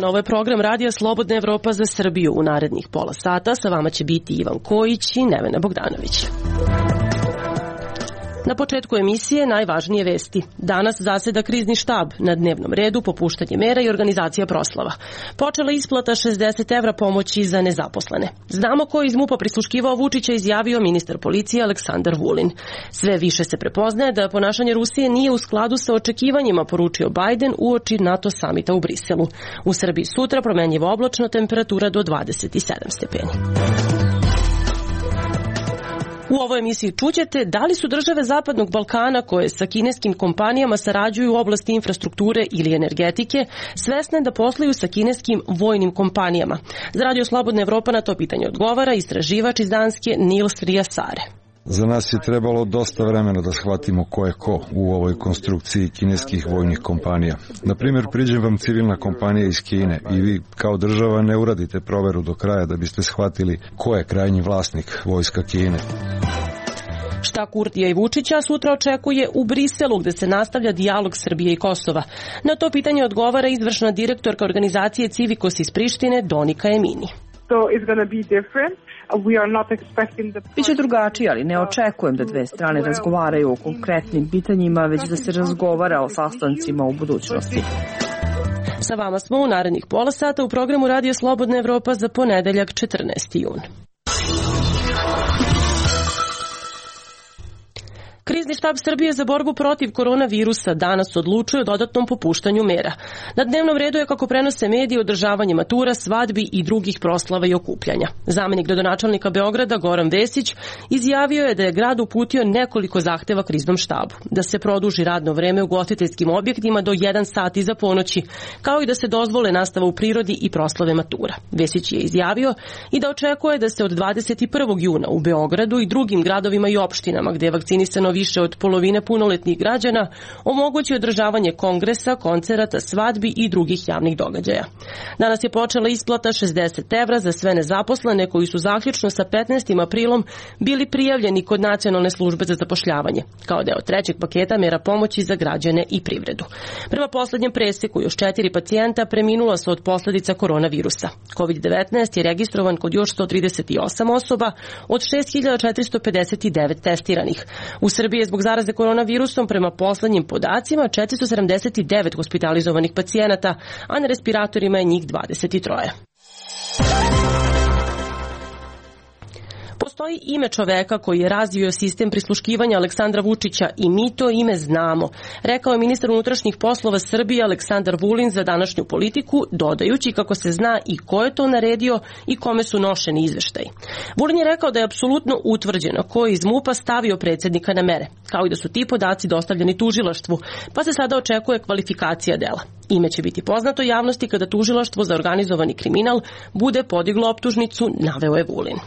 Ovo je program Radija Slobodna Evropa za Srbiju. U narednih pola sata sa vama će biti Ivan Kojić i Nevena Bogdanović. Na početku emisije najvažnije vesti. Danas zaseda krizni štab, na dnevnom redu popuštanje mera i organizacija proslava. Počela isplata 60 evra pomoći za nezaposlene. Znamo ko je iz MUP-a prisluškivao Vučića, izjavio ministar policije Aleksandar Vulin. Sve više se prepoznaje da ponašanje Rusije nije u skladu sa očekivanjima, poručio Biden uoči NATO samita u Briselu. U Srbiji sutra promenljivo oblačno, temperatura do 27 stepeni. U ovoj emisiji čućete da li su države Zapadnog Balkana koje sa kineskim kompanijama sarađuju u oblasti infrastrukture ili energetike svesne da posluju sa kineskim vojnim kompanijama. Za Radio Slobodna Evropa na to pitanje odgovara istraživač iz Danske Nils Riasare. Za nas je trebalo dosta vremena da shvatimo ko je ko u ovoj konstrukciji kineskih vojnih kompanija. Na primjer, priđe vam civilna kompanija iz Kine i vi kao država ne uradite proveru do kraja da biste shvatili ko je krajnji vlasnik vojska Kine. Šta Kurtija i Vučića sutra očekuje u Briselu, gde se nastavlja dijalog Srbije i Kosova? Na to pitanje odgovara izvršna direktorka organizacije Civikos iz Prištine Donika Emini. Biće drugačije, ali ne očekujem da dve strane razgovaraju o konkretnim pitanjima, već da se razgovara o sastancima u budućnosti. Sa vama smo u narednih pola sata u programu Radija Slobodna Evropa za ponedeljak 14. jun. Krizni štab Srbije za borbu protiv koronavirusa danas odlučuje o dodatnom popuštanju mera. Na dnevnom redu je, kako prenose mediji, održavanje matura, svadbi i drugih proslava i okupljanja. Zamenik gradonačelnika Beograda Goran Vesić izjavio je da je grad uputio nekoliko zahteva kriznom štabu. Da se produži radno vreme u ugostiteljskim objektima do 1 sat iza ponoći, kao i da se dozvole nastava u prirodi i proslave matura. Vesić je izjavio i da očekuje da se od 21. juna u Beogradu i drugim gradovima i opštinama gde je vakcinisano više od polovine punoletnih građana omogući održavanje kongresa, koncerata, svadbi i drugih javnih događaja. Danas je počela isplata 60 evra za sve nezaposlene koji su zaključno sa 15. aprilom bili prijavljeni kod Nacionalne službe za zapošljavanje, kao deo trećeg paketa mera pomoći za građane i privredu. Prema poslednjem preseku, još 4 pacijenta preminula su od posledica koronavirusa. COVID-19 je registrovan kod još 138 osoba od 6.459 testiranih. U Srbiji je zbog zaraze koronavirusom prema poslednjim podacima 479 hospitalizovanih pacijenata, a na respiratorima je njih 23. Postoji ime čoveka koji je razvio sistem prisluškivanja Aleksandra Vučića i mi to ime znamo, rekao je ministar unutrašnjih poslova Srbije Aleksandar Vulin za današnju Politiku, dodajući kako se zna i ko je to naredio i kome su nošeni izveštaji. Vulin je rekao da je apsolutno utvrđeno ko je iz MUP-a stavio predsjednika na mere, kao i da su ti podaci dostavljeni tužilaštvu, pa se sada očekuje kvalifikacija dela. Ime će biti poznato javnosti kada tužilaštvo za organizovani kriminal bude podiglo optužnicu, naveo je Vulin.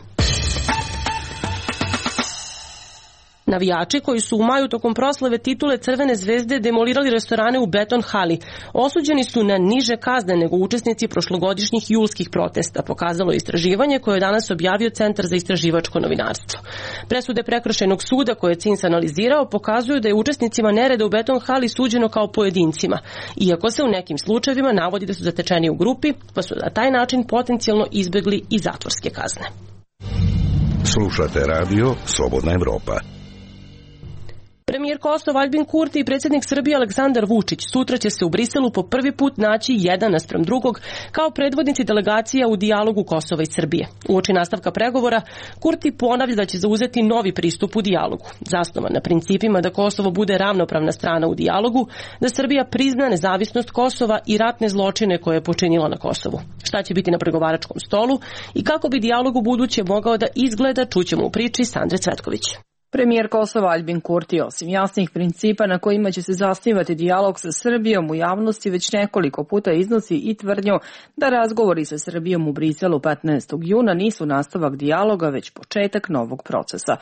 Navijači koji su u maju tokom proslave titule Crvene zvezde demolirali restorane u Beton hali osuđeni su na niže kazne nego učesnici prošlogodišnjih julskih protesta, pokazalo istraživanje koje je danas objavio Centar za istraživačko novinarstvo. Presude Prekršajnog suda koje je CINS analizirao pokazuju da je učesnicima nereda u Beton hali suđeno kao pojedincima, iako se u nekim slučajevima navodi da su zatečeni u grupi, pa su na taj način potencijalno izbegli i zatvorske kazne. Slušate radio Slobodna Evropa. Premijer Kosova Aljbin Kurti i predsjednik Srbije Aleksandar Vučić sutra će se u Briselu po prvi put naći jedan naspram drugog kao predvodnici delegacija u dijalogu Kosova i Srbije. Uoči nastavka pregovora, Kurti ponavlja da će zauzeti novi pristup u dijalogu, zasnovan na principima da Kosovo bude ravnopravna strana u dijalogu, da Srbija prizna nezavisnost Kosova i ratne zločine koje je počinila na Kosovu. Šta će biti na pregovaračkom stolu i kako bi dijalog u buduće mogao da izgleda, čućemo u priči Sandre Cvetković. Premijer Kosova Aljbin Kurti, osim jasnih principa na kojima će se zasnivati dijalog sa Srbijom, u javnosti već nekoliko puta iznosi i tvrdnju da razgovori sa Srbijom u Briselu 15. juna nisu nastavak dijaloga, već početak novog procesa.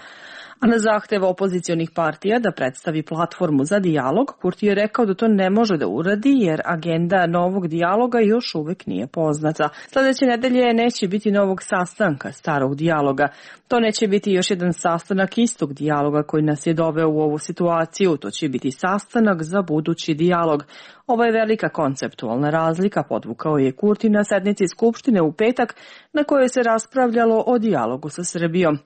A na zahtev opozicionih partija da predstavi platformu za dijalog, Kurti je rekao da to ne može da uradi jer agenda novog dijaloga još uvek nije poznata. Sledeće nedelje neće biti novog sastanka starog dijaloga. To neće biti još jedan sastanak istog dijaloga koji nas je doveo u ovu situaciju. To će biti sastanak za budući dijalog. Ovo je velika konceptualna razlika, podvukao je Kurti na sednici Skupštine u petak na kojoj se raspravljalo o dijalogu sa Srbijom.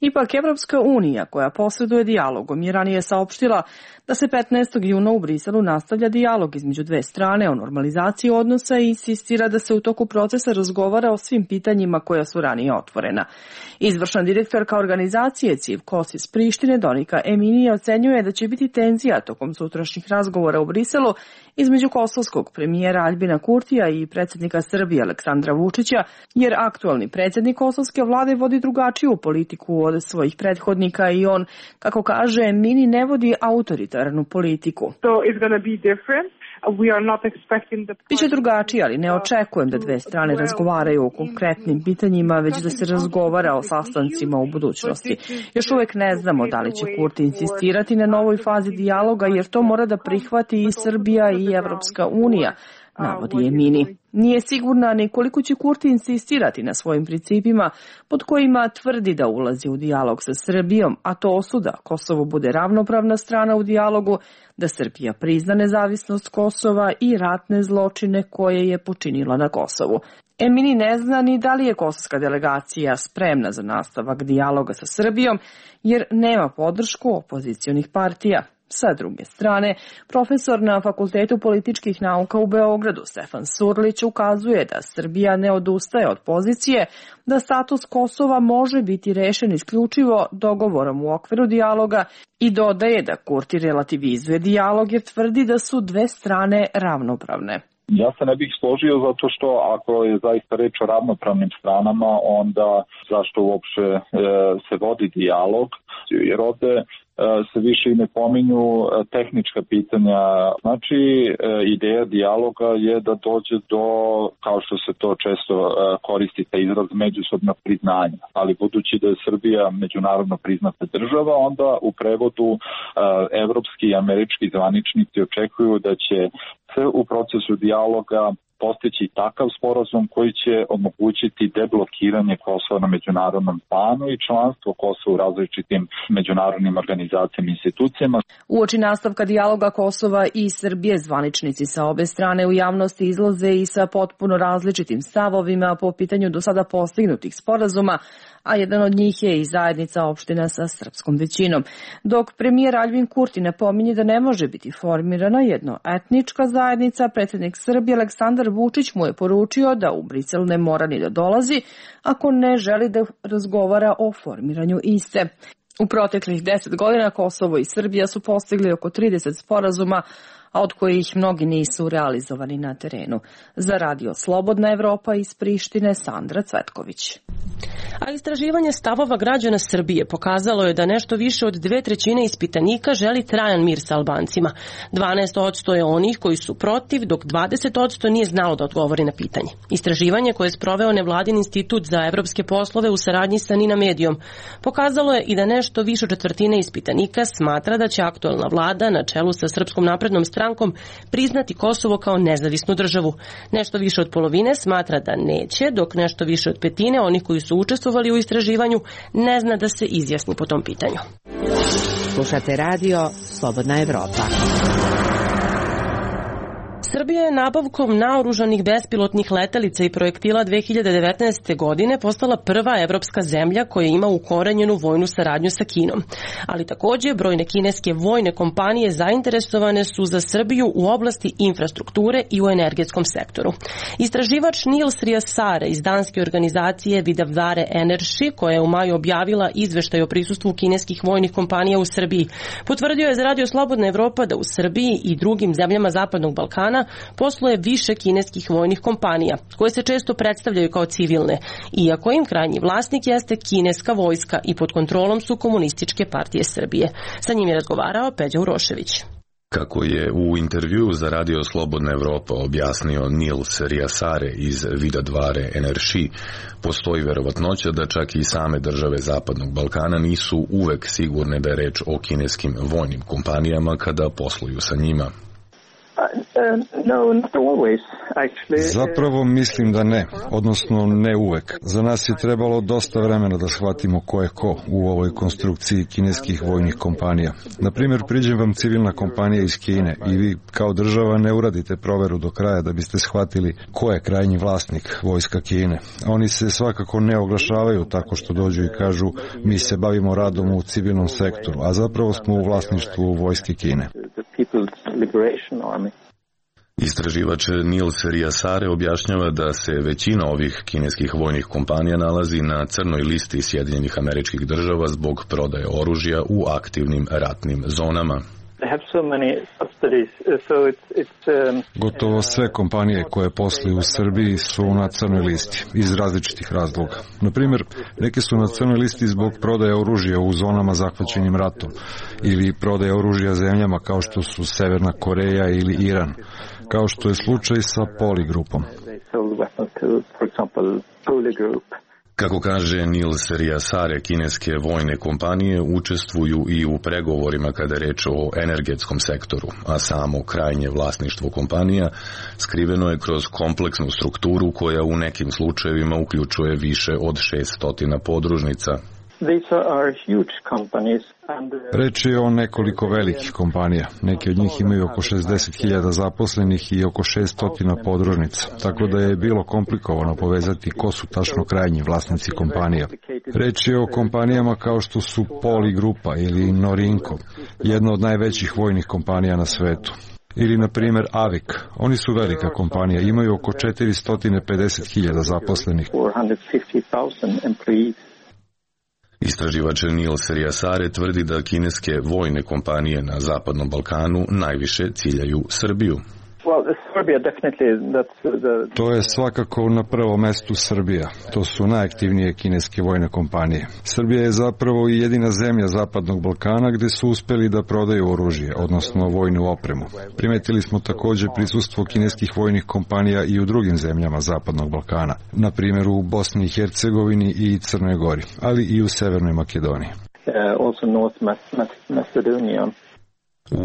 Ipak Evropska unija, koja posreduje dijalogom, je ranije saopštila da se 15. juna u Briselu nastavlja dijalog između dve strane o normalizaciji odnosa i insistira da se u toku procesa razgovara o svim pitanjima koja su ranije otvorena. Izvršna direktorka organizacije CIV KOS iz Prištine, Donika Eminija, ocenjuje da će biti tenzija tokom sutrašnjih razgovora u Briselu između kosovskog premijera Aljbina Kurtija i predsjednika Srbije Aleksandra Vučića, jer aktualni predsjednik kosovske vlade vodi drugačiju politiku od svojih prethodnika i on, kako kaže, Emini ne vodi autoritarnu politiku. Biće drugačije, ali ne očekujem da dve strane razgovaraju o konkretnim pitanjima, već da se razgovara o sastancima u budućnosti. Još uvek ne znamo da li će Kurti insistirati na novoj fazi dijaloga, jer to mora da prihvati i Srbija i Evropska unija, navodi Emini. Nije sigurna ni koliko će Kurti insistirati na svojim principima pod kojima tvrdi da ulazi u dijalog sa Srbijom, a to su da Kosovo bude ravnopravna strana u dijalogu, da Srbija prizna nezavisnost Kosova i ratne zločine koje je počinila na Kosovu. Emini ne zna ni da li je kosovska delegacija spremna za nastavak dijaloga sa Srbijom, jer nema podršku opozicionih partija. Sa druge strane, profesor na Fakultetu političkih nauka u Beogradu Stefan Surlić ukazuje da Srbija ne odustaje od pozicije da status Kosova može biti rešen isključivo dogovorom u okviru dijaloga i dodaje da Kurti relativizuje dijalog jer tvrdi da su dve strane ravnopravne. Ja se ne bih složio zato što ako je zaista reč o ravnopravnim stranama, onda zašto uopšte se vodi dijalog, jer ovde se više i ne pominju tehnička pitanja. Znači, ideja dijaloga je da dođe do, kao što se to često koristi, taj izraz međusobnog priznanja. Ali budući da je Srbija međunarodno priznata država, onda u prevodu evropski i američki zvaničnici očekuju da će se u procesu dijaloga postići takav sporazum koji će omogućiti deblokiranje Kosova na međunarodnom planu i članstvo Kosova u različitim međunarodnim organizacijama i institucijama. Uoči nastavka dijaloga Kosova i Srbije, zvaničnici sa obe strane u javnosti izlaze i sa potpuno različitim stavovima po pitanju do sada postignutih sporazuma, a jedan od njih je i zajednica opština sa srpskom većinom. Dok premijer Aljbin Kurti napominje da ne može biti formirana jednoetnička zajednica, predsjednik Srbije Aleksandar Vučić mu je poručio da u Brisel ne mora ni da dolazi ako ne želi da razgovara o formiranju iste. U proteklih 10 godina Kosovo i Srbija su postigli oko 30 sporazuma, a od kojih mnogi nisu realizovani na terenu. Za Radio Slobodna Evropa iz Prištine, Sandra Cvetković. A istraživanje stavova građana Srbije pokazalo je da nešto više od 2/3 ispitanika želi trajan mir sa Albancima. 12% je onih koji su protiv, dok 20% nije znalo da odgovori na pitanje. Istraživanje koje je sproveo nevladin institut za evropske poslove u saradnji sa Nina Medijom pokazalo je i da nešto više od 1/4 ispitanika smatra da će aktuelna vlada na čelu sa Srpskom naprednom strankom priznati Kosovo kao nezavisnu državu. Nešto više od polovine smatra da neće, dok nešto više od 1/5 onih koji su učestvovali u istraživanju ne zna da se izjasni po tom pitanju. Slušate radio Slobodna Evropa. Srbija je nabavkom naoružanih bespilotnih letelica i projektila 2019. godine postala prva evropska zemlja koja ima ukorenjenu vojnu saradnju sa Kinom. Ali takođe, brojne kineske vojne kompanije zainteresovane su za Srbiju u oblasti infrastrukture i u energetskom sektoru. Istraživač Nils Riasare iz danske organizacije Vidavare Energy, koja je u maju objavila izveštaj o prisustvu kineskih vojnih kompanija u Srbiji, potvrdio je za Radio Slobodna Evropa da u Srbiji i drugim zemljama Zapadnog Balkana posluje više kineskih vojnih kompanija, koje se često predstavljaju kao civilne, iako im krajnji vlasnik jeste kineska vojska i pod kontrolom su Komunističke partije Srbije. Sa njim je razgovarao Peđa Urošević. Kako je u intervjuu za Radio Slobodna Evropa objasnio Nils Riasare iz Vidadvare Energy, postoji verovatnoća da čak i same države Zapadnog Balkana nisu uvek sigurne da je reč o kineskim vojnim kompanijama kada posluju sa njima. Zapravo mislim da ne, odnosno ne uvek. Za nas je trebalo dosta vremena da shvatimo ko je ko u ovoj konstrukciji kineskih vojnih kompanija. Na primjer, priđe vam civilna kompanija iz Kine i vi kao država ne uradite proveru do kraja da biste shvatili ko je krajnji vlasnik vojska Kine. Oni se svakako ne oglašavaju tako što dođu i kažu mi se bavimo radom u civilnom sektoru, a zapravo smo u vlasništvu vojske Kine. Istraživač Nils Riasare objašnjava da se većina ovih kineskih vojnih kompanija nalazi na crnoj listi Sjedinjenih Američkih Država zbog prodaje oružja u aktivnim ratnim zonama. Gotovo sve kompanije koje posluju u Srbiji su na crnoj listi iz različitih razloga. Na primjer, neke su na crnoj listi zbog prodaje oružja u zonama zahvaćenim ratom ili prodaje oružja zemljama kao što su Severna Koreja ili Iran, kao što je slučaj sa Poligrupom. Kako kaže Nils Riasare, kineske vojne kompanije učestvuju i u pregovorima kada je reč o energetskom sektoru, a samo krajnje vlasništvo kompanija skriveno je kroz kompleksnu strukturu koja u nekim slučajevima uključuje više od 600 podružnica. Reč je o nekoliko velikih kompanija. Neki od njih imaju oko 60.000 zaposlenih i oko 600 podružnica, tako da je bilo komplikovano povezati ko su tačno krajnji vlasnici kompanija. Reč je o kompanijama kao što su Poligrupa ili Norinco, jedna od najvećih vojnih kompanija na svetu. Ili, na primjer, Avik. Oni su velika kompanija, imaju oko 450.000 zaposlenih. Istraživač Nils Riasare tvrdi da kineske vojne kompanije na Zapadnom Balkanu najviše ciljaju Srbiju. To je svakako na prvom mestu Srbija. To su najaktivnije kineske vojne kompanije. Srbija je zapravo i jedina zemlja Zapadnog Balkana gde su uspeli da prodaju oružje, odnosno vojnu opremu. Primetili smo također prisustvo kineskih vojnih kompanija i u drugim zemljama Zapadnog Balkana, na primjer u Bosni i Hercegovini i Crnoj Gori, ali i u Severnoj Makedoniji.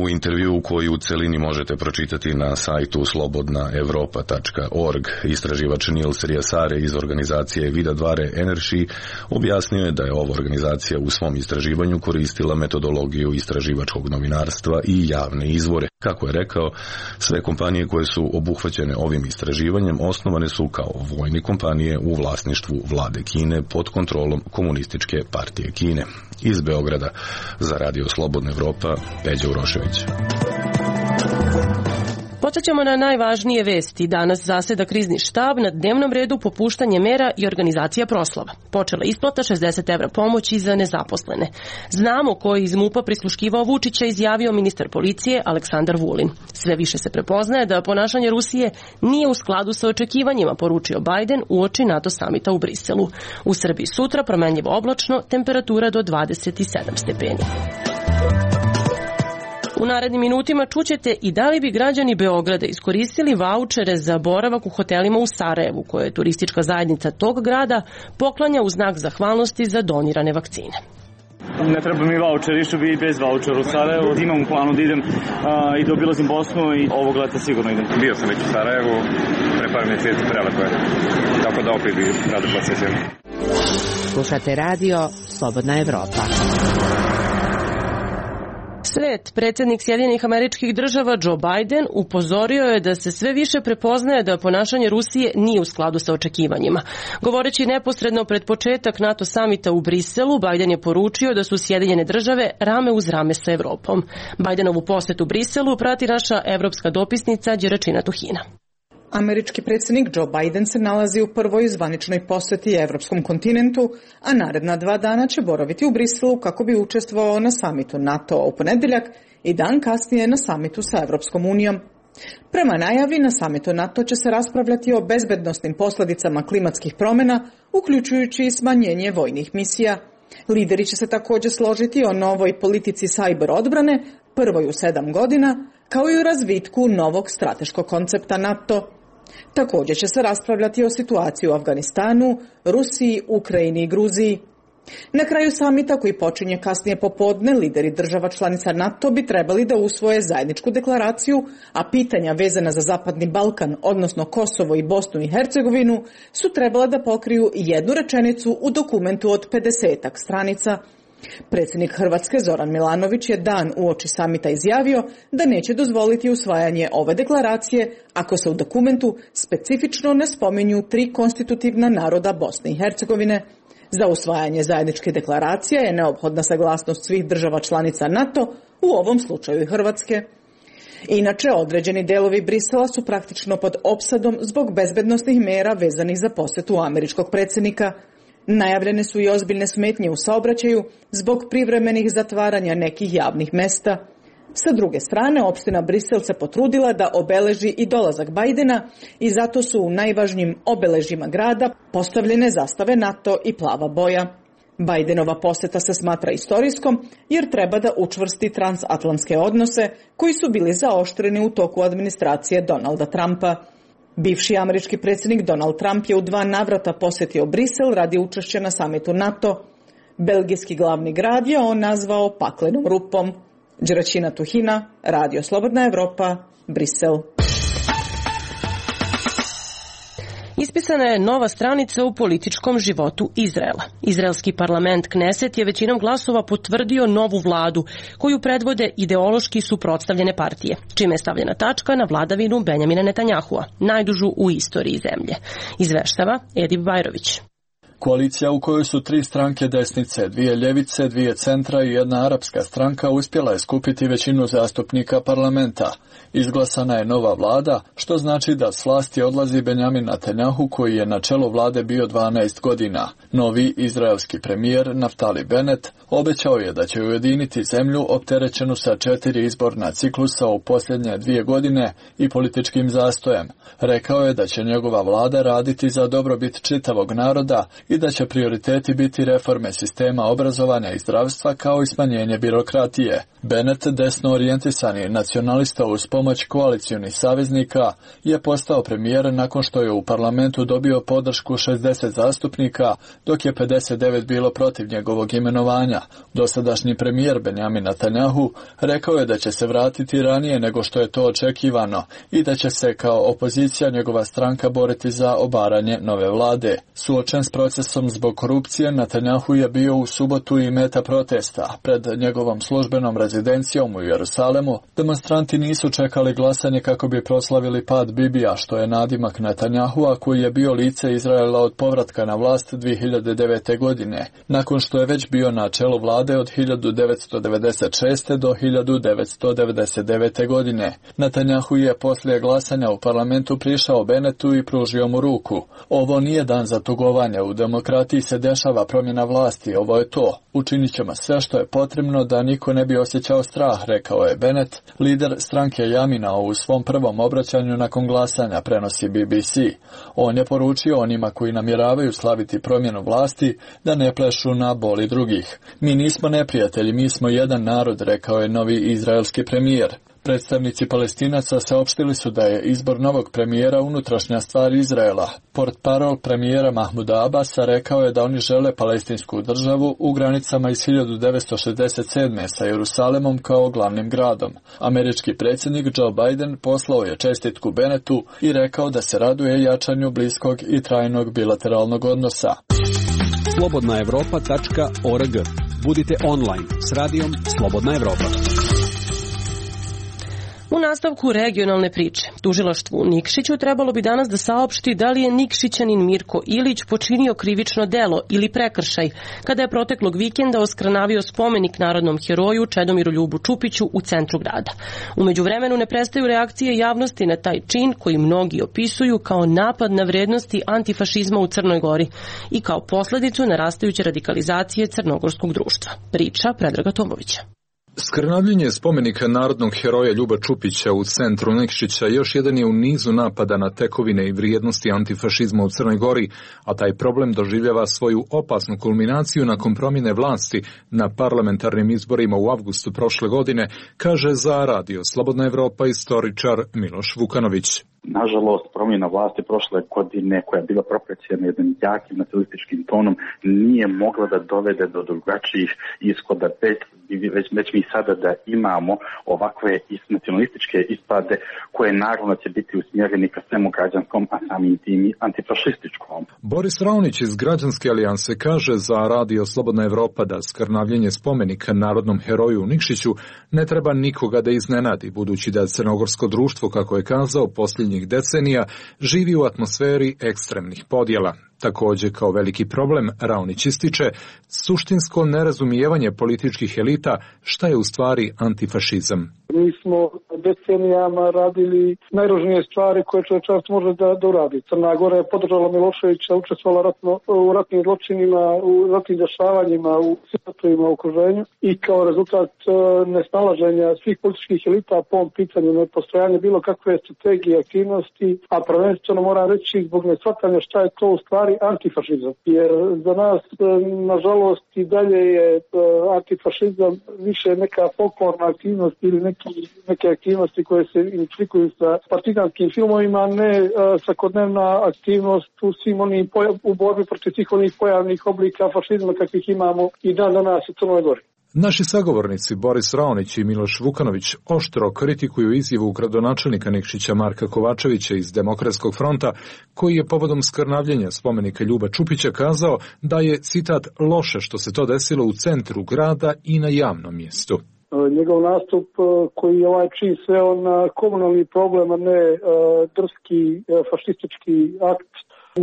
U intervjuu koji u celini možete pročitati na sajtu slobodnaevropa.org, istraživač Nils Riasare iz organizacije Vidadvare Energy objasnio je da je ova organizacija u svom istraživanju koristila metodologiju istraživačkog novinarstva i javne izvore. Kako je rekao, sve kompanije koje su obuhvaćene ovim istraživanjem osnovane su kao vojne kompanije u vlasništvu vlade Kine pod kontrolom Komunističke partije Kine. Iz Beograda za Radio Slobodna Evropa, Peđa Urošević. Podsjećamo na najvažnije vesti. Danas zaseda krizni štab, na dnevnom redu popuštanje mera i organizacija proslava. Počela isplata 60 evra pomoći za nezaposlene. Znamo ko je iz MUP-a prisluškivao Vučića, izjavio ministar policije Aleksandar Vulin. Sve više se prepoznaje da ponašanje Rusije nije u skladu sa očekivanjima, poručio Bajden uoči NATO samita u Briselu. U Srbiji sutra promenljivo oblačno, temperatura do 27 stepeni. U narednim minutima čućete i da li bi građani Beograda iskoristili vaučere za boravak u hotelima u Sarajevu, koje je turistička zajednica tog grada poklanja u znak zahvalnosti za donirane vakcine. Ne treba mi vaučer, išao bi i bez vaučera u Sarajevu. Imam u planu da idem i da obilazim Bosnu i ovog leta sigurno idem. Bio sam već u Sarajevu, pre par mjeseci, prelepo je. Tako da opet bi rado posjetio. Slušate radio Slobodna Evropa. Svet, predsjednik Sjedinjenih Američkih Država Joe Biden upozorio je da se sve više prepoznaje da ponašanje Rusije nije u skladu sa očekivanjima. Govoreći neposredno pred početak NATO samita u Briselu, Biden je poručio da su Sjedinjene Države rame uz rame sa Evropom. Bidenovu posetu Briselu prati naša evropska dopisnica Đeračina Tuhina. Američki predsjednik Joe Biden se nalazi u prvoj zvaničnoj posjeti evropskom kontinentu, a naredna 2 dana će boraviti u Briselu kako bi učestvovao na samitu NATO u ponedjeljak i dan kasnije na samitu sa Evropskom unijom. Prema najavi, na samitu NATO će se raspravljati o bezbednosnim posljedicama klimatskih promjena, uključujući i smanjenje vojnih misija. Lideri će se također složiti o novoj politici sajber odbrane, prvoj u 7 godina, kao i u razvitku novog strateškog koncepta NATO. Također će se raspravljati o situaciji u Afganistanu, Rusiji, Ukrajini i Gruziji. Na kraju samita, koji počinje kasnije popodne, lideri država članica NATO bi trebali da usvoje zajedničku deklaraciju, a pitanja vezana za Zapadni Balkan, odnosno Kosovo i Bosnu i Hercegovinu, su trebala da pokriju jednu rečenicu u dokumentu od 50 stranica. Predsjednik Hrvatske Zoran Milanović je dan uoči samita izjavio da neće dozvoliti usvajanje ove deklaracije ako se u dokumentu specifično ne spominju 3 konstitutivna naroda Bosne i Hercegovine. Za usvajanje zajedničke deklaracije je neophodna saglasnost svih država članica NATO, u ovom slučaju i Hrvatske. Inače, određeni delovi Brisela su praktično pod opsadom zbog bezbednosnih mera vezanih za posjetu američkog predsjednika. Najavljene su i ozbiljne smetnje u saobraćaju zbog privremenih zatvaranja nekih javnih mesta. Sa druge strane, opština Brisel se potrudila da obeleži i dolazak Bajdena i zato su u najvažnijim obeležjima grada postavljene zastave NATO i plava boja. Bajdenova posjeta se smatra istorijskom jer treba da učvrsti transatlantske odnose koji su bili zaoštreni u toku administracije Donalda Trumpa. Bivši američki predsjednik Donald Trump je u 2 navrata posjetio Brisel radi učešća na samitu NATO. Belgijski glavni grad je on nazvao paklenom rupom. Đeračina Tuhina, Radio Slobodna Evropa, Brisel. Ispisana je nova stranica u političkom životu Izraela. Izraelski parlament Kneset je većinom glasova potvrdio novu vladu koju predvode ideološki suprotstavljene partije, čime je stavljena tačka na vladavinu Benjamina Netanjahua, najdužu u istoriji zemlje. Izveštava Edip Bajrović. Koalicija u kojoj su 3 stranke desnice, 2 ljevice, 2 centra i 1 arapska stranka uspjela je skupiti većinu zastupnika parlamenta. Izglasana je nova vlada, što znači da s vlasti odlazi Benjamin Netanjahu koji je na čelu vlade bio 12 godina. Novi izraelski premijer Naftali Bennett obećao je da će ujediniti zemlju opterećenu sa 4 izborna ciklusa u posljednje 2 godine i političkim zastojem. Rekao je da će njegova vlada raditi za dobrobit čitavog naroda i da će prioriteti biti reforme sistema obrazovanja i zdravstva kao i smanjenje birokratije. Bennett, desno orijentisani nacionalista uz pomoć koalicionih saveznika, je postao premijer nakon što je u parlamentu dobio podršku 60 zastupnika, dok je 59 bilo protiv njegovog imenovanja. Dosadašnji premijer Benjamin Netanjahu rekao je da će se vratiti ranije nego što je to očekivano i da će se kao opozicija njegova stranka boriti za obaranje nove vlade. Suočen s procesom zbog korupcije, Netanjahu je bio u subotu i meta protesta. Pred njegovom službenom rezidencijom u Jerusalemu demonstranti nisu čekali glasanje kako bi proslavili pad Bibija, što je nadimak Netanjahua koji je bio lice Izraela od povratka na vlast 2009. godine, nakon što je već bio na čelu vlade od 1996. do 1999. godine. Netanjahu je poslije glasanja u parlamentu prišao Bennettu i pružio mu ruku. Ovo nije dan za tugovanje, u demokratiji se dešava promjena vlasti, ovo je to. Učinit ćemo sve što je potrebno da niko ne bi osjećao strah, rekao je Bennett. Lider stranke Jamina u svom prvom obraćanju nakon glasanja, prenosi BBC. On je poručio onima koji namjeravaju slaviti promjenu vlasti da ne plešu na boli drugih. Mi nismo neprijatelji, mi smo jedan narod, rekao je novi izraelski premijer. Predstavnici Palestinaca saopštili su da je izbor novog premijera unutrašnja stvar Izraela. Portparol premijera Mahmuda Abasa rekao je da oni žele palestinsku državu u granicama iz 1967. sa Jerusalemom kao glavnim gradom. Američki predsjednik Joe Biden poslao je čestitku Bennettu i rekao da se raduje jačanju bliskog i trajnog bilateralnog odnosa. slobodnaevropa.org. Budite online s radijom Slobodna Evropa. U nastavku regionalne priče, tužilaštvu u Nikšiću trebalo bi danas da saopšti da li je Nikšićanin Mirko Ilić počinio krivično delo ili prekršaj kada je proteklog vikenda oskrnavio spomenik narodnom heroju Čedomiru Ljubu Čupiću u centru grada. U međuvremenu ne prestaju reakcije javnosti na taj čin koji mnogi opisuju kao napad na vrednosti antifašizma u Crnoj Gori i kao posledicu narastajuće radikalizacije crnogorskog društva. Priča Predraga Tomovića. Skrnavljenje spomenika narodnog heroja Ljuba Čupića u centru Nikšića još jedan je u nizu napada na tekovine i vrijednosti antifašizma u Crnoj Gori, a taj problem doživljava svoju opasnu kulminaciju nakon promjene vlasti na parlamentarnim izborima u avgustu prošle godine, kaže za Radio Slobodna Evropa istoričar Miloš Vukanović. Nažalost, promjena vlasti prošle godine, koja je bila propraćena jednim jakim nacionalističkim tonom, nije mogla da dovede do drugačijih ishoda, već mi sada da imamo ovakve nacionalističke ispade koje naravno će biti usmjereni ka svemu građanskom, a samim tim i antifašističkom. Boris Raonić iz Građanske alijanse kaže za Radio Slobodna Evropa da skrnavljenje spomenika narodnom heroju u Nikšiću ne treba nikoga da iznenadi, budući da crnogorsko društvo, kako je kazao, posljednjih decenija živi u atmosferi ekstremnih podjela. Također, kao veliki problem, Raonić ističe suštinsko nerazumijevanje političkih elita šta je u stvari antifašizam. Mi smo decenijama radili najružnije stvari koje čovječanstvo može da uradi. Crna Gora je podržala Miloševića, učestvovala u ratnim zločinima, u ratnim dešavanjima, u ratovima u okruženju i kao rezultat nesnalaženja svih političkih elita po ovom pitanju nepostojanja bilo kakve strategije, aktivnosti, a prvenstveno moram reći zbog neshvatanja šta je to u stvari antifašizam. Jer za nas, nažalost, i dalje je antifašizam više neka folklorna aktivnost ili neke aktivnosti koje se identifikuju sa partizanskim filmovima, ne svakodnevna aktivnost u svim onim u borbi protiv svih onih pojavnih oblika fašizma kakvih imamo i dan danas u Crnoj Gori. Naši sagovornici Boris Raonić i Miloš Vukanović oštro kritikuju izjavu gradonačelnika Nikšića Marka Kovačevića iz Demokratskog fronta, koji je povodom skrnavljenja spomenika Ljuba Čupića kazao da je, citat, loše što se to desilo u centru grada i na javnom mjestu. Njegov nastup koji je čin sveo na komunalni problem, a ne drski fašistički akt,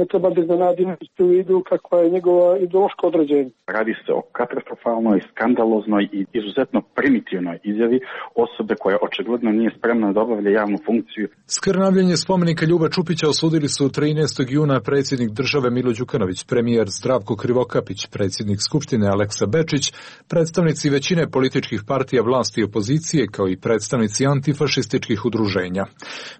ne treba da iznenaditi u vidu kakva je njegova ideološka određenja. Radi se o katastrofalnoj, skandaloznoj i izuzetno primitivnoj izjavi osobe koja očigledno nije spremna da obavlja javnu funkciju. Skrnavljenje spomenika Ljuba Čupića osudili su 13. juna predsjednik države Milo Đukanović, premijer Zdravko Krivokapić, predsjednik Skupštine Aleksa Bečić, predstavnici većine političkih partija vlasti i opozicije, kao i predstavnici antifašističkih udruženja.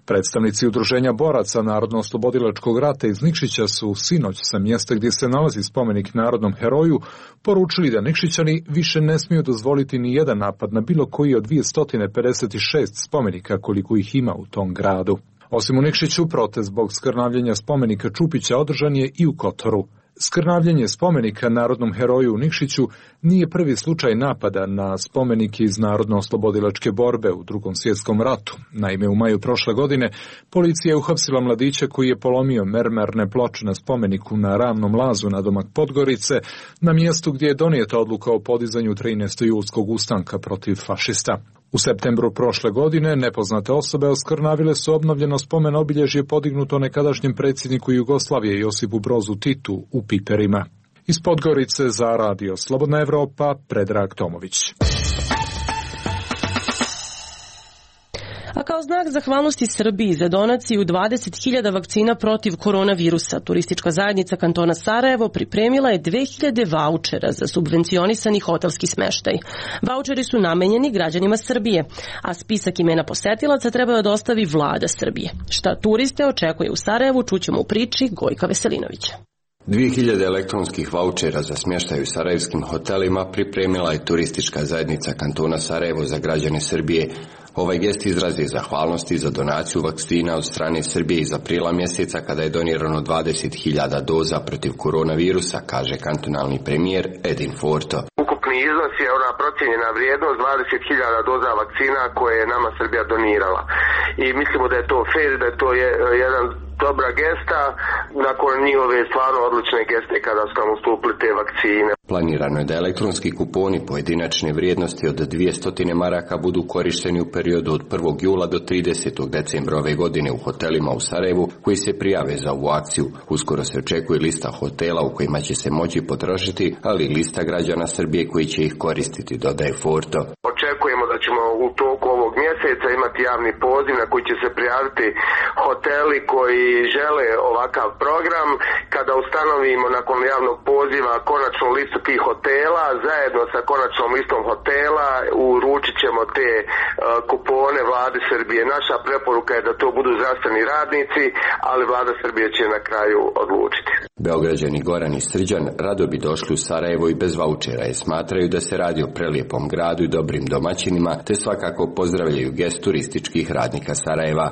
Predstavnici udruženja boraca Narodno-oslobodilačkog rata iz Nikšića su sinoć sa mjesta gdje se nalazi spomenik narodnom heroju poručili da Nikšićani više ne smiju dozvoliti ni jedan napad na bilo koji od 256 spomenika koliko ih ima u tom gradu. Osim u Nikšiću, protest zbog skrnavljenja spomenika Čupića održan je i u Kotoru. Skrnavljenje spomenika narodnom heroju u Nikšiću nije prvi slučaj napada na spomenike iz Narodno-oslobodilačke borbe u Drugom svjetskom ratu. Naime, u maju prošle godine policija je uhapsila mladića koji je polomio mermerne ploče na spomeniku na Ravnom lazu nadomak Podgorice, na mjestu gdje je donijeta odluka o podizanju 13. julskog ustanka protiv fašista. U septembru prošle godine nepoznate osobe oskrnavile su obnovljeno spomen obilježje podignuto nekadašnjem predsjedniku Jugoslavije Josipu Brozu Titu u Piperima. Iz Podgorice za Radio Slobodna Evropa, Predrag Tomović. A kao znak zahvalnosti Srbiji za donaciju 20.000 vakcina protiv koronavirusa, turistička zajednica kantona Sarajevo pripremila je 2000 vaučera za subvencionisani hotelski smeštaj. Vaučeri su namenjeni građanima Srbije, a spisak imena posetilaca treba da dostavi vlada Srbije. Šta turiste očekuje u Sarajevu, čućemo u priči Gojka Veselinovića. 2000 elektronskih vaučera za smještaj u sarajevskim hotelima pripremila je turistička zajednica kantona Sarajevo za građane Srbije. Ovaj gest izrazi zahvalnosti za donaciju vakcina od strane Srbije iz aprila mjeseca kada je donirano 20.000 doza protiv koronavirusa, kaže kantonalni premijer Edin Forto. Ukupni iznos je ona procijenjena vrijednost 20.000 doza vakcina koje je nama Srbija donirala. I mislimo da je to fair, da je to jedan dobra gesta nakon njihove stvarno odlične geste kada su nam ustupili te vakcine. Planirano je da elektronski kuponi pojedinačne vrijednosti od 200 maraka budu korišteni u periodu od 1. jula do 30. decembra ove godine u hotelima u Sarajevu koji se prijave za ovu akciju. Uskoro se očekuje lista hotela u kojima će se moći potrošiti, ali i lista građana Srbije koji će ih koristiti, dodaje Forto. Očekujemo da ćemo u toku ovog mjeseca imati javni poziv na koji će se prijaviti hoteli koji žele ovakav program. Kada ustanovimo nakon javnog poziva konačnu listu listu tih hotela, zajedno sa konačnom listom hotela uručit ćemo te kupone Vlade Srbije. Naša preporuka je da to budu zdravstveni radnici, ali Vlada Srbije će na kraju odlučiti. Beograđani Goran i Srđan rado bi došli u Sarajevo i bez vaučera jer smatraju da se radi o prelijepom gradu i dobrim domaćinima, te svakako pozdravljaju gest turističkih radnika Sarajeva.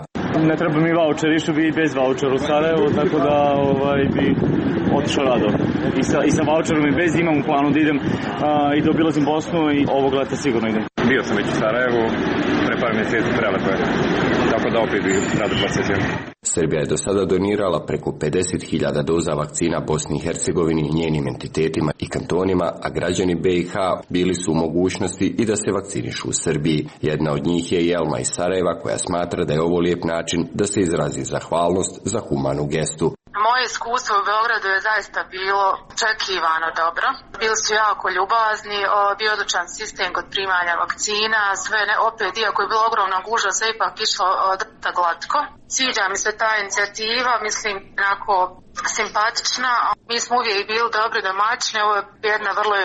Ne treba mi vaučer, išao bi i bez vaučera u Sarajevo, tako da bi otišao rado. I sa vaučerom i bez imam u planu da idem i da obilazim Bosnu i ovog leta sigurno idem. Bio sam već u Sarajevu, pre par mjeseci prelepo je, tako da opet bi rado posetio. Srbija je do sada donirala preko 50.000 doza vakcina Bosni i Hercegovini i njenim entitetima i kantonima, a građani BiH bili su u mogućnosti i da se vakcinišu u Srbiji. Jedna od njih je Jelma iz Sarajeva koja smatra da je ovo lijep način da se izrazi zahvalnost za humanu gestu. Moje iskustvo u Beogradu je zaista bilo očekivano dobro. Bili su jako ljubazni, bio odličan sistem kod primanja vakcina, opet, iako je bilo ogromna gužva, sve ipak išlo dosta glatko. Sviđa mi se ta inicijativa, mislim, onako simpatična. Mi smo uvijek bili dobri domaćini, ovo je jedna vrlo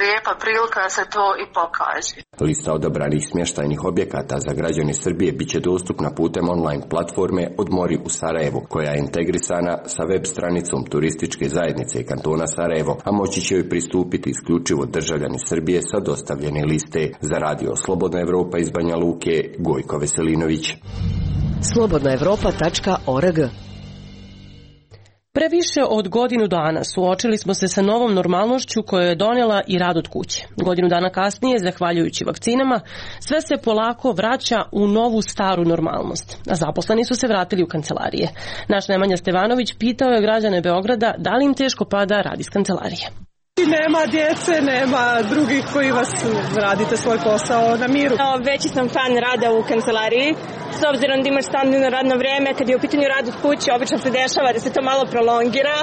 lijepa prilika da se to i pokaže. Lista odabranih smještajnih objekata za građane Srbije biće dostupna putem online platforme Odmori u Sarajevu, koja je integrisana sa web stranicom turističke zajednice kantona Sarajevo, a moći će joj pristupiti isključivo državljani Srbije sa dostavljene liste. Za radio Slobodna Evropa iz Banja Luke, Gojko Veselinović. slobodnaevropa.org. Pre više od godinu dana suočili smo se sa novom normalnošću koju je donela i rad od kuće. Godinu dana kasnije, zahvaljujući vakcinama, sve se polako vraća u novu staru normalnost, a zaposleni su se vratili u kancelarije. Naš Nemanja Stevanović pitao je građane Beograda da li im teško pada rad iz kancelarije. Nema djece, nema drugih koji vas radite svoj posao na miru. Veći sam fan rada u kancelariji. S obzirom da imaš standardno radno vreme, kad je u pitanju rad od kuće, obično se dešava da se to malo prolongira,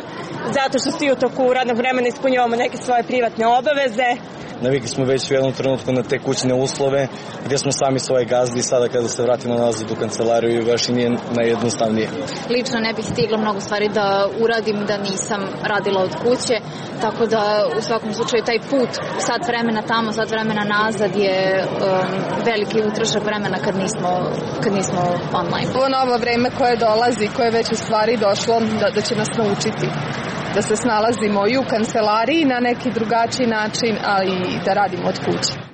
zato što svi u toku radnog vremena ispunjavamo neke svoje privatne obaveze. Navikli smo već u jednom trenutku na te kućne uslove, gdje smo sami svoje gazdi i sada kada se vratimo nazad u kancelariju baš i nije najjednostavnije. Lično ne bih stigla mnogo stvari da uradim da nisam radila od kuće, tako da u svakom slučaju taj put sat vremena tamo, sat vremena nazad je veliki utrošak vremena kad nismo online. Ovo novo vreme koje dolazi, koje je već u stvari došlo da će nas naučiti da se snalazimo i u kancelariji na neki drugačiji način, ali i da radimo od kuće.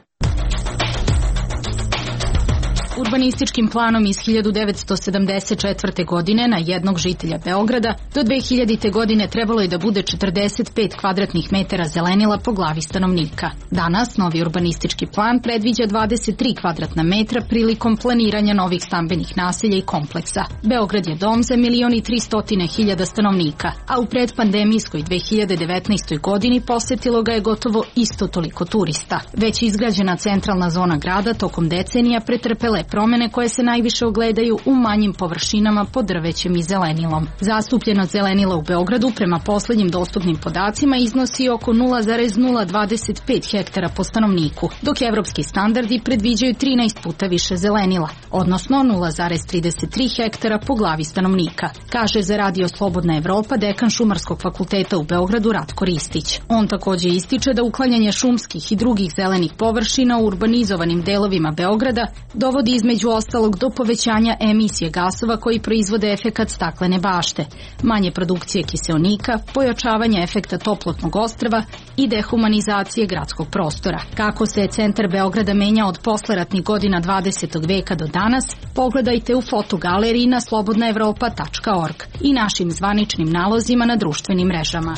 Urbanističkim planom iz 1974. godine na jednog žitelja Beograda do 2000. godine trebalo je da bude 45 kvadratnih metara zelenila po glavi stanovnika. Danas novi urbanistički plan predviđa 23 kvadratna metra prilikom planiranja novih stambenih naselja i kompleksa. Beograd je dom za 1.300.000 stanovnika, a u predpandemijskoj 2019. godini posetilo ga je gotovo isto toliko turista. Već izgrađena centralna zona grada tokom decenija pretrpele promene koje se najviše ogledaju u manjim površinama pod drvećem i zelenilom. Zastupljenost zelenila u Beogradu prema poslednjim dostupnim podacima iznosi oko 0,025 hektara po stanovniku, dok evropski standardi predviđaju 13 puta više zelenila, odnosno 0,33 hektara po glavi stanovnika, kaže za radio Slobodna Evropa dekan Šumarskog fakulteta u Beogradu Ratko Ristić. On takođe ističe da uklanjanje šumskih i drugih zelenih površina u urbanizovanim delovima Beograda dovodi između ostalog do povećanja emisije gasova koji proizvode efekat staklene bašte, manje produkcije kiseonika, pojačavanja efekta toplotnog ostrva i dehumanizacije gradskog prostora. Kako se centar Beograda menja od posleratnih godina 20. veka do danas, pogledajte u fotogaleriji na slobodnaevropa.org i našim zvaničnim nalozima na društvenim mrežama.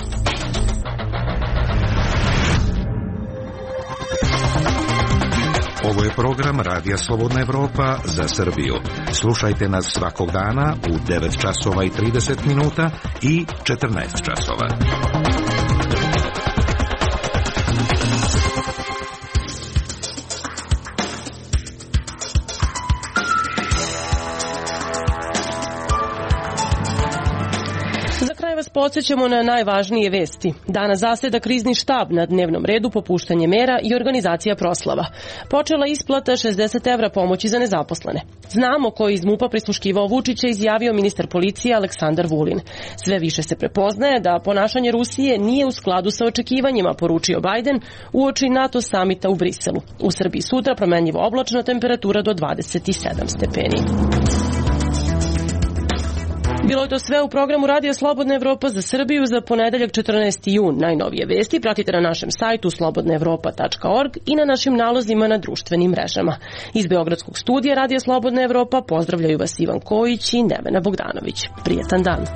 Ovo je program Radija Slobodna Evropa za Srbiju. Slušajte nas svakog dana u 9 časova i 30 minuta i 14 časova. podsjećamo na najvažnije vesti. Danas zaseda krizni štab, na dnevnom redu popuštanje mera i organizacija proslava. Počela isplata 60 evra pomoći za nezaposlene. Znamo ko je iz MUP-a prisluškivao Vučića, izjavio ministar policije Aleksandar Vulin. Sve više se prepoznaje da ponašanje Rusije nije u skladu sa očekivanjima, poručio Bajden uoči NATO samita u Briselu. U Srbiji sutra promenljivo oblačna, temperatura do 27 stepeni. Bilo je to sve u programu Radija Slobodna Evropa za Srbiju za ponedeljak 14. jun. Najnovije vesti pratite na našem sajtu slobodnaevropa.org i na našim nalozima na društvenim mrežama. Iz Beogradskog studija Radija Slobodna Evropa pozdravljaju vas Ivan Kojić i Nevena Bogdanović. Prijetan dan.